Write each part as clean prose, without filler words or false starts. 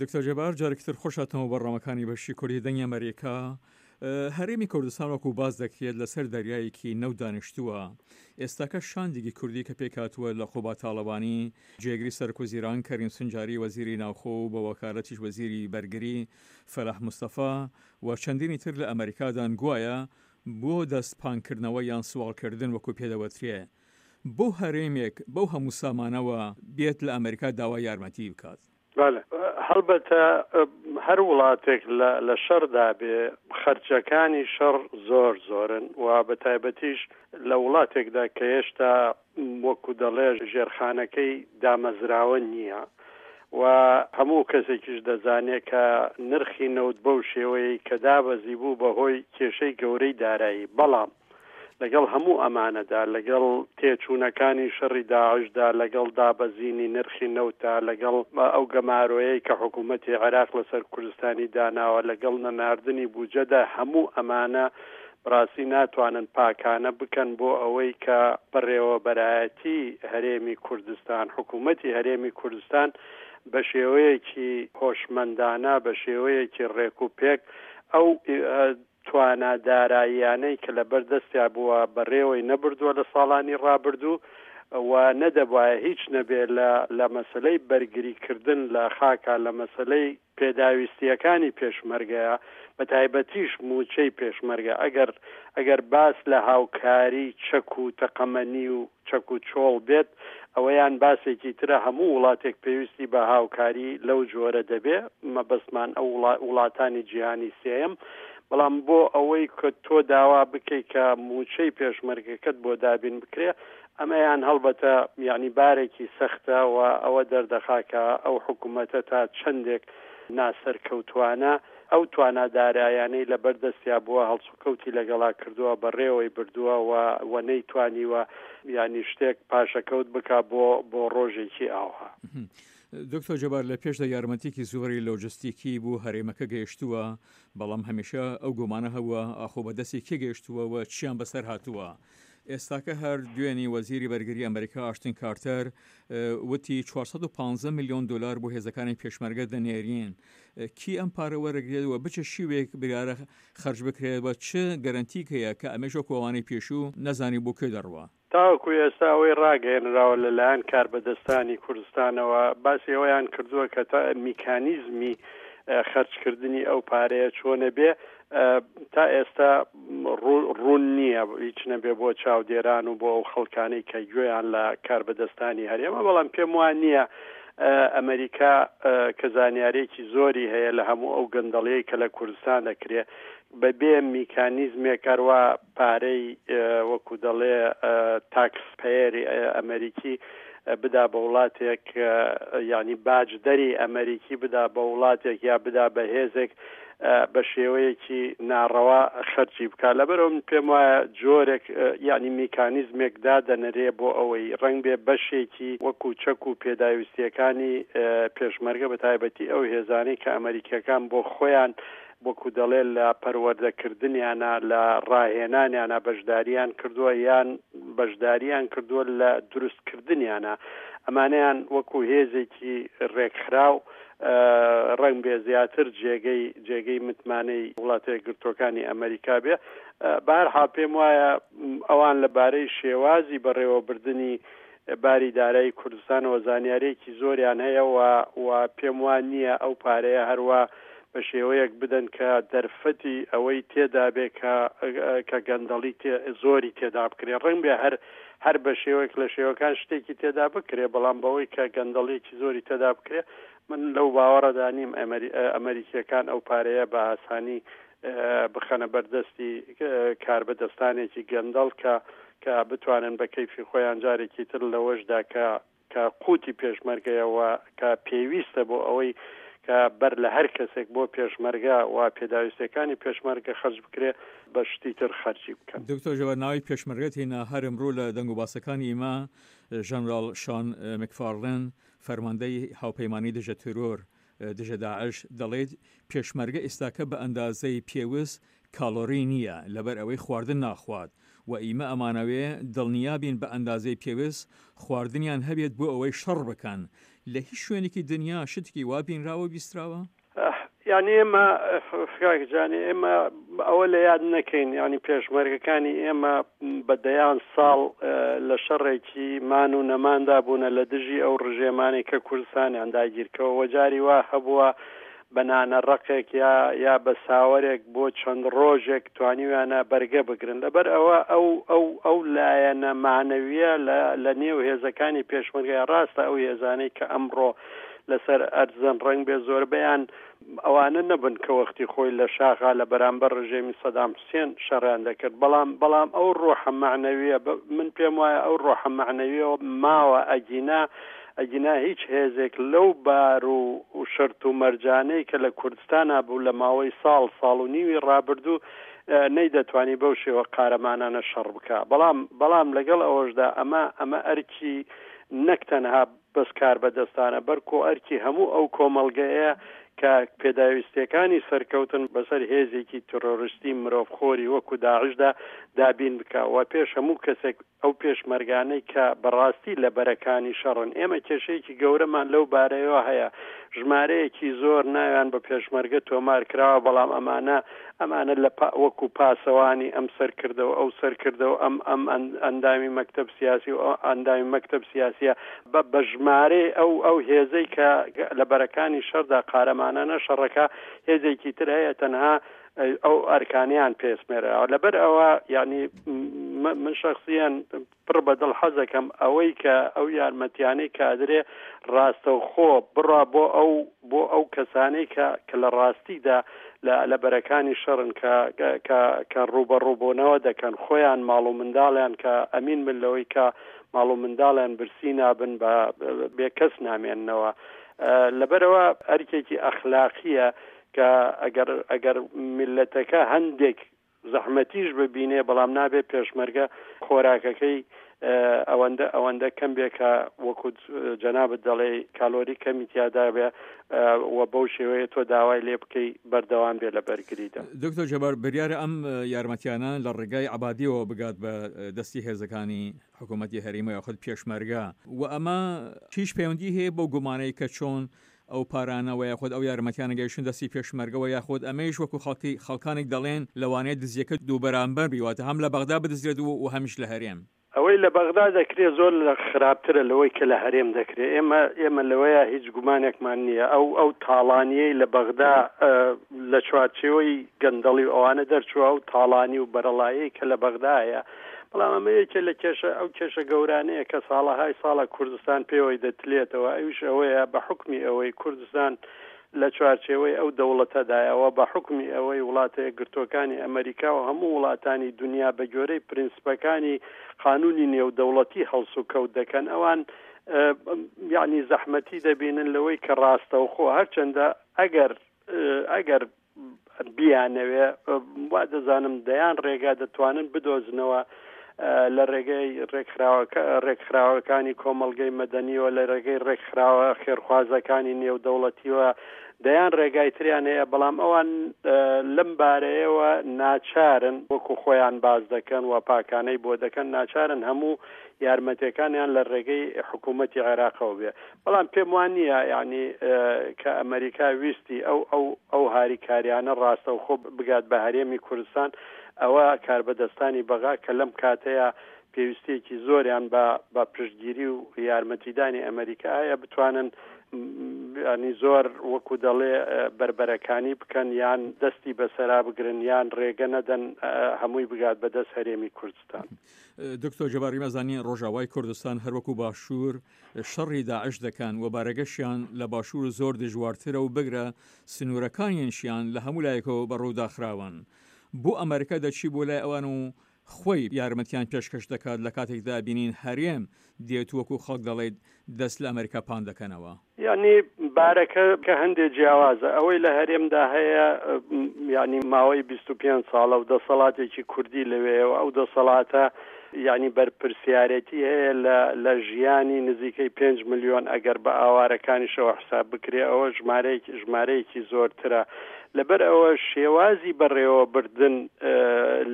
دکتۆر جەبار جارێکی تر خۆش هاتنەوە بەرنامەکانی بەشی کوردی دەنگی ئەمەریکا. هەرێمی کوردستان وەکو باس دەکرێت لەسەر دەریایەکی نەوت دانیشتووە. ئێستاکە شاندێکی کوردی کە پێکهاتووە لە قوباد تاڵەبانی جێگری سەرۆکوەزیران، کەریم سنجاری وەزیری ناوخۆ و بە وەکالەتیش وەزیری بەرگری فەلاح مستەفا و چەندینی تر لە ئەمەریکادان گوایە بۆ دەست پانکردنەوە یان سواڵکردن وەکو پێدەوترێ بۆ هەرێمێک بەو هەموو سامانەوە بێت لە ئەمەریکا داوای یارمەتی بکات؟ بەڵێ هەڵبەتە هەر وڵاتێک لە لە شەڕدا بێ خەرجەکانی شەڕ زۆر زۆرن و بە تایبەتیش لە وڵاتێکدا کە هێشتا وەکو دەڵێ ژێرخانەکەی دامەزراوە نییە و هەموو کەسێکیش دەزانێ کە نرخی نەوت بەو شێوەیەی کە دابەزی بوو بە هۆی کێشەی گەورەی دارایی بەڵام لەگەڵ هەموو ئەمانەدا، لەگەڵ تێچوونەکانی شەڕی داعشدا، لەگەڵ دابەزینی نرخی نەوتدا، لەگەڵ ئەو گەمارۆیەی کە حکوومەتی عێراق لەسەر کوردستانی داناوە، لەگەڵ نەناردنی بوجەدا، هەموو ئەمانە بەڕاستی ناتوانن پاکانە بکەن بۆ ئەوەی کە بەڕێوەبەرایەتی هەرێمی کوردستان، حکوومەتی هەرێمی کوردستان بە شێوەیەکی هۆشمەندانە، بە شێوەیەکی ڕێکوپێک ئەو توانا داراییانەی کە لەبەر دەستیا بووە بەڕێوەی نەبردووە لە ساڵانی ڕابردوو و نەدەبوایە هیچ نەبێ لە لە مەسەلەی بەرگری کردن لە خاکا لە مەسەلەی پێداویستییەکانی پێشمەرگەیە بە تایبەتیش مووچەی پێشمەرگە ئەگەر ئەگەر باس لە هاوکاری چەک و تەقەمەنی و چەک و چۆڵ بێت ئەوەیان باسێکی ترە هەموو وڵاتێک پێویستی بە هاوکاری لەو جۆرە دەبێ مەبەستمان ئەو وڵاتانی جیهانی سێیەم بەڵام بۆ ئەوەی کە تۆ داوا بکەی کە مووچەی پێشمەرگەکەت بۆ دابین بکرێ ئەمەیان هەڵبەتە یانی بارێکی سەختە و ئەوە دەردەخا کە ئەو حکوومەتە تا چەندێک ناسەرکەوتوانە ئەو توانا دارایانەی لەبەر دەستیا بووە هەڵسوکەوتی لەگەڵا کردووە بەڕێوەی بردووە و و نەیتوانیوە یانی شتێک پاشەکەوت بکا بۆ بۆ ڕۆژێکی ئاوها. دکتۆر جەبار لە پێشدا یارمەتیکی زۆری لۆجستیکی بو هەرێمەکە گەیشتووە بەڵام هەمیشە ئەو گۆمانە هەبووە ئاخۆ بە دەستی کێ گەیشتووە و چیان بەسەر هاتووە ئێستاکە هەر دوێنی وەزیری بەرگری ئەمریکا ئاشتن کارتەر وتی 415 میلیۆن دلار بۆ هێزەکانی پێشمەرگە دەنێرین کی ئەم پارە وەرەگرێت و بچ شیوێک بریارە خەرج بکرێت و چ گەرەنتیک هەیە کە ئەمەش وەکو ئەوانەی پێشوو نەزانی بۆ کوێ دەڕوا؟ تاوەکو ئێستا ئەوەی ڕاگەیەنراوە لەلایەن کاربەدەستانی کوردستانەوە باسی ئەوەیان کردووە کە تا میکانیزمی خەرجکردنی ئەو پارەیە چۆنە بێ تا ئێستا ڕوون نییە هیچ نەبێ بۆ چاودێران و بۆ ئەو خەڵکانەی کە گوێیان لە کاربەدەستانی هەرێمە بەڵام پێم وان نییە ئەمریکا کە زانیارێکی زۆری هەیە لە هەموو ئەو گەندەڵیەی کە لە کوردستان دەکرێ بەبێ میکانیزمێک ئەروا پارەی وەکو دەڵێ تاکس پەیەری ئەمریکی بدا بە وڵاتێک یعنی باجدەری ئەمریکی بدا بە وڵاتێک یا بدا بە هێزێک بە شێوەیەکی ناڕەوا خەرجی بکات لەبەرئەوە من پێم وایە جۆرێک یعنی میکانیزمێک دادەنرێ بۆ ئەوەی ڕەنگ بێ بەشێکی وەکو چەک و پێداویستیەکانی پێشمەرگە بە تایبەتی ئەو هێزانەی کە ئەمریکیەکان بۆ خۆیان وەکو دەڵێ لە پەروەردەکردنیانە لە ڕاهێنانیانە بەشداریان کردووە یان بەشداریان کردووە لە دروستکردنیانە ئەمانەیان وەکو هێزێکی ڕێکخراو ڕەنگبێ زیاتر جێگەی جێگەی متمانەی وڵاتە یەکگرتووەکانی ئەمەریکا بێ. بەهەرحاڵ پێم وایە ئەوان لە بارەی شێوازی بەڕێوەبردنی باری دارایی کوردستانەوە زانیارییەکی زۆریان هەیە و و پێم وا نییە ئەو پارەیە هەروا بە شێوەیەک بدەن کە دەرفەتی ئەوەی تێدا بێ کە کە گەندەڵی تێ زۆری تێدا بکرێ. ڕەنگبێ هەر هەر بە شێوەیەک لە شێوەکان شتێکی تێدا بکرێ، بەڵام بەوەی کە گەندەڵیەکی زۆری تێدا بکرێ، من لەو باوەڕەدا نیم ئەمەریکیەکان ئەو پارەیە بە ئاسانی بخەنە بەر دەستی کاربەدەستانێکی گەندەڵ کە کە بتوانن بە کەیفی خۆیان جارێکی تر لەوەشدا کە کە قوتی پێشمەرگەیە و کە پێویستە بۆ ئەوەی کە بەر لە هەر کەسێک بۆ پێشمەرگە و پێداویستیەکانی پێشمەرگە خەرج بکرێ بە شتی تر خەرجی بکەن. دکتۆر جەبار ناوی پێشمەرگەت هێنا هەر ئمڕوو لە دەنگوباسەکانی ئیمە ژەنراڵ شان مکفارلن فەرماندەی هاوپەیمانی دژە تیرۆر دژە داعش دەڵێت پێشمەرگە ئیستاکە بە ئەندازەی پێوست کاڵۆری نییە لەبەر ئەوەی خواردن ناخوات و ئیمە ئەمانەوێ دڵنیا بین بە ئەندازەی پێوست خواردنیان هەبێت بۆ ئەوەی شەڕ بکەن. لە هیچ شوێنێکی دنیا شتێکی وا بینراوە و بیستراوە؟ یانی ئێمە کاک جانی ئێمە ئەوە لە یاد نەکەین یانی پێشمەرگەکانی ئێمە بە دەیان ساڵ لە شەڕێکی مان و نەماندا بوونە لە دژی ئەو ڕژێمانەی کە کوردستانیان داگیرکەوە وەجاری وا هەبووە بە نانە ڕەقێک یا یا بە ساوەرێک بۆ چەند ڕۆژێک توانیویانە بەرگە بگرن لەبەر ئەوە ئەو ئەو ئەو لایەنە مەعنەویە لە لە نێو هێزەکانی پێشمەرگە ڕاستە ئەو هێزانەی کە ئەمڕۆ لەسەر ئەرزن ڕەنگ بێ زۆربەیان ئەوانە نەبن کە وەختی خۆی لە شاخا لە بەرامبەر ڕژێمی سەدام حوسێن شەڕیان دەکرد بەڵام بەڵام ئەو ڕۆحە مەعنەویە من پێم وایە ئەو ڕۆحە مەعنەویەوە ماوە ئەگینا ئەگینا هیچ هێزێک لەو بار و شەرت و مەرجانەی کە لە کوردستانا بوو لە ماوەی ساڵ ساڵ و نیوی ڕابردوو نەیدەتوانی بەو شێوە قارەمانانە شەڕ بکا بەڵام بەڵام لەگەڵ ئەوەشدا ئەمە ئەمە ئەرکی نەک تەنها بەس کاربەدەستانە بەرکۆ ئەرکی هەموو ئەو کۆمەڵگەیە کە پێداویستیەکانی سەرکەوتن بەسەر هێزێکی ترۆریستی مرۆڤخۆری وەکو داعشدا دابین بکا و پێش هەموو کەسێک ئەو پێشمەرگانەی کە بەڕاستی لە بەرەکانی شەڕن، ئێمە کێشەیەکی گەورەمان لەو بارەیەوە هەیە، ژمارەیەکی زۆر ناویان بە پێشمەرگە تۆمار کراوە، بەڵام ئەمانە ئەمانە لە وەکو پاسەوانی ئەم سەرکردە و ئەو سەرکردە و ئەم ئەم ئەندامی مەکتەب سیاسی و ئەو ئەندامی مەکتەب سیاسیە بە بە ژمارەی ئەو ئەو هێزەی کە لە بەرەکانی شەڕدا قارەمانانە شەڕەکە هێزێکی تر هەیە تەنها ئەو ئەرکانیان پێسمێراوە لەبەر ئەوە یعنی من شخصیان پڕ بە دڵ حەزەکەم ئەوەی کە ئەو یارمەتیانەی کادرێ ڕاستەوخۆ بڕا بۆ ئەو بۆ ئەو کەسانەی کە کە لە ڕاستیدا لە لە بەرەکانی شەڕن کە کە کە ڕووبەڕووبوونەوە دەکەن خۆیان ماڵ و منداڵیان کە ئەمین بن لەوەی کە ماڵ و منداڵیان برسی نابن بە بێکەس نامێننەوە لەبەرەوە ئەرکێکی ئەخلاقیە کە ئەگەر ئەگەر میللەتەکە هەندێک زەحمەتیش ببینێ بەڵام نابێ پێشمەرگە خۆراکەکەی ئەوەندە ئەوەندە کەم بێ کە وەکو جەنابت دەڵێ کالۆری کەمی تیادا بێ و بەو شێوەیە تۆ داوای لێ بکەی بەردەوام بێ لە بەرگریدا. دکتۆر جەبار بریارە ئەم یارمەتیانە لە ڕێگای عەبادیەوە بگات بە دەستی هێزەکانی حکوومەتی هەرێم و یاخود پێشمەرگە و ئەمە هیچ پەیوەندی هەیە بەو گومانەی کە چۆن ئەو پارانە وە یاخود ئەو یارمەتیانە گەیشتن دەستی پێشمەرگە وە یاخود ئەمەیش وەکو خەڵکی خەڵکانێک دەڵێن لەوانەیە دزیەکە دووبەرامبەر بی واتە هەم لە بەغدا بدزرێت و و هەمیش لە هەرێم. ئەوەی لە بەغدا دەکرێ زۆر لە خراپترە لەوەی کە لە هەرێم دەکرێ ئێمە ئێمە لەوەیا هیچ گومانێکمان نییە ئەو ئەو تاڵانیەی لە بەغدا لە چوارچێوەی گەندەڵی و ئەوانە دەرچووە ئەو تاڵانی و بەرەڵایەی کە لە بەغدا هەیە بەڵام ئەمە یەکێ لە کێشە ئەو کێشە گەورانەیە کە ساڵەهای ساڵە کوردستان پێوەی دەتلێتەوە ئەویش ئەوەیە بە حوکمی ئەوەی کوردستان لە چوارچێوەی ئەو دەوڵەتەدایە و بە حوکمی ئەوەی وڵاتە یەکگرتووەکانی ئەمەریکا و هەموو وڵاتانی دونیا بە گوێرەی پرینسپەکانی قانونی نێودەوڵەتی هەڵسوکەوت دەکەن ئەوان یعنی زەحمەتی دەبینن لەوەی کە ڕاستەوخۆ هەرچەندە ئەگەر ئەگەر بیانەوێ وا دەزانم دەیان ڕێگا دەتوانن بدۆزنەوە لە ڕێگەی ڕێکخراوەکە ڕێکخراوەکانی کۆمەڵگەی مەدەنیەوە لە ڕێگەی ڕێکخراوە خێرخوازەکانی نێودەوڵەتیوە دەیان ڕێگای تریان هەیە بەڵام ئەوان لەم بارەیەوە ناچارن وەکو خۆیان باز دەکەن و پاکانەی بۆ دەکەن ناچارن هەموو یارمەتەکانیان لە ڕێگەی حکوومەتی عێراقەوە بێ بەڵام پێم وا نییە یانی کە ئەمەریکا ویستی ئەو ئەو ئەو هاریکاریانە ڕاستەوخۆ بگات بە هەرێمی کوردستان ئەوە کاربەدەستانی بەغا کە لەم کاتەیە پێویستیەکی زۆریان بە بە پشتگیری و یارمەتیدانی ئەمەریکا هەیە بتوانن ینی زۆر وەکو دەڵێ بەربەرەکانی بکەن یان دەستی بەسەرا بگرن یان ڕێگە نەدەن هەمووی بگات بە دەست هەرێمی کوردستان. دکتۆر جەباری مەزانی ڕۆژاوای کوردستان هەروەکو باشوور شەڕی داعش دەکەن و بارەگەشیان لە باشوور زۆر دژوارترە و بگرە سنوورەکانیشیان لە هەموو لایەکەوە بە ڕوو داخراون. بۆ ئەمەریکا دەچی بۆ لای ئەوان و خۆی یارمەتیان پێشکەش دەکات لە کاتێکدا بینین هەرێم دێت وەکو خەڵک دەڵێت دەست لە ئەمەریکا پان دەکەنەوە. یانی بارەکە کە هەندێ جیاوازە ئەوەی لە هەرێمدا هەیە یانی ماوەی 25 ساڵە و دەسەڵاتێکی کوردی لەوێیە و ئەو دەسەڵاتە یانی بەرپرسیارێتی هەیە لە لە ژیانی نزیکەی 5 ملیۆن ئەگەر بە ئاوارەکانیشەوە حساب بکرێ ئەوە ژمارەیەکی ژمارەیەکی زۆرترە لەبەر ئەوە شێوازی بەڕێوەبردن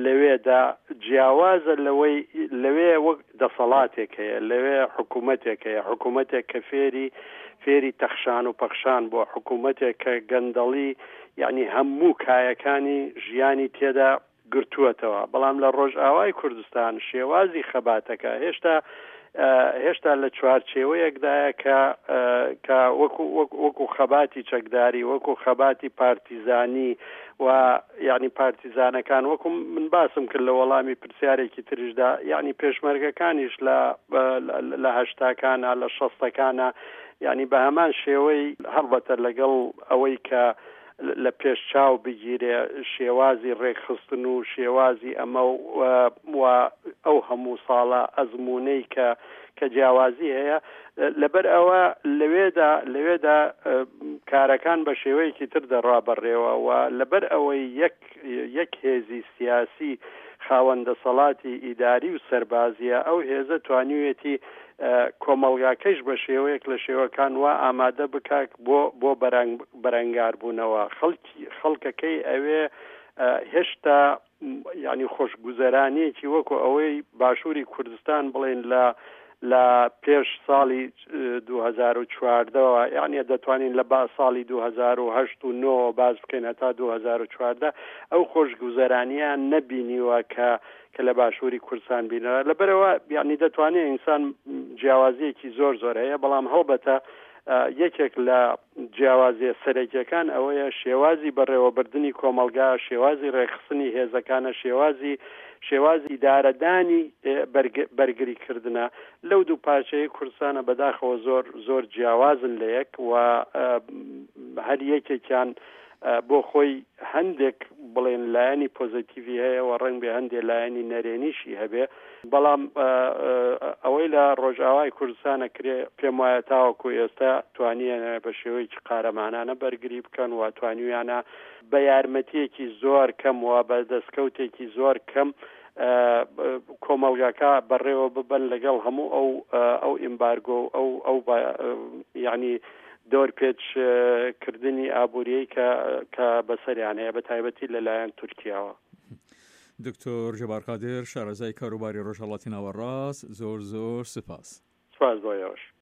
لەوێدا جیاوازە لەوەی لەوێ وەک دەسەڵاتێک هەیە لەوێ حکوومەتێک هەیە حکوومەتێک کە فێری فێری تەخشان و پەخشان بووە، حکوومەتێک کە گەندەڵی یەعنی هەموو کایەکانی ژیانی تێدا گرتووەتەوە، بەڵام لە ڕۆژئاوای کوردستان شێوازی خەباتەکە هێشتا هێشتا لە چوارچێوەیەکدایە کە کە وەکو وەکو خەباتی چەکداری وەکو خەباتی پارتیزانی و یعنی پارتیزانەکان وەکو من باسم کرد لە وەڵامی پرسیارێکی تریشدا یعنی پێشمەرگەکانیش لە لە هەشتاکانە لە شەستەکانە یعنی بە هەمان شێوەی هەڵبەتە لەگەڵ ئەوەی کە لە پێش چاو بگیرێ شێوازی ڕێکخستن و شێوازی ئەمە و ئەو هەموو ساڵە ئەزموونەی کە کە جیاوازی هەیە لەبەر ئەوە لەوێدا لەوێدا کارەکان بە شێوەیەکی تر دەڕا بەڕێوە و لەبەر ئەوەی یەک یەک هێزی سیاسی خاوەن دەسەڵاتی ئیداری و سەربازیە ئەو هێزە توانیویەتی کۆمەڵگاکەیش بە شێوەیەک لە شێوەکان وا ئامادە بکات بۆ بۆ بەرەنگاربوونەوە خەڵکی خەڵکەکەی ئەوێ هێشتا یعنی خۆشگوزەرانیەکی وەکو ئەوەی باشووری کوردستان بڵێن لە لە پێش ساڵی 2014ەوە یعنی دەتوانین لە با ساڵی 2008 و 9 باز بکەین هەتا 2014 ئەو خۆشگوزەرانیان نەبینیوە کە کە لە باشووری کوردستان بینرا لەبەرەوە یعنی دەتوانێت ئینسان جیاوازیەکی زۆر زۆر هەیە بەڵام هەڵبەتە یەکێک لە جیاوازیە سەرەکیەکان ئەوەیە شێوازی بەڕێوەبردنی کۆمەڵگا، شێوازی ڕێکخستنی هێزەکانە، شێوازی شێوازی ئیدارەدانی بەرگری کردنە لەو دوو پارچەیە کوردستانە بەداخەوە زۆر زۆر جیاوازن لە یەک و هەر یەکێکیان بۆ خۆی هەندێک بڵێن لایەنی پۆزەتیڤی هەیە و ڕەنگ بێ هەندێ لایەنی نەرێنیشی هەبێ بەڵام ئەوەی لە ڕۆژئاوای کوردستان ئەکرێ پێم وایە تاوەکو ئێستا توانیانە بە شێوەیەکی قارەمانانە بەرگری بکەن و توانیویانە بە یارمەتیەکی زۆر کەم و بە دەستکەوتێکی زۆر کەم کۆمەڵگاکە بەڕێوە ببەن لەگەڵ هەموو ئەو ئەو ئیمبارگۆ و ئەو ئەو یعنی دۆرپێچ کردنی ئابووریی کە کە بەسەریان هەیە بە تایبەتی لەلایەن تورکیاوە. دکتۆر جەبار قادر شارەزای کاروباری ڕۆژهەڵاتی ناوەڕاست زۆر زۆر سپاس. سپاس بۆ ئێوەش.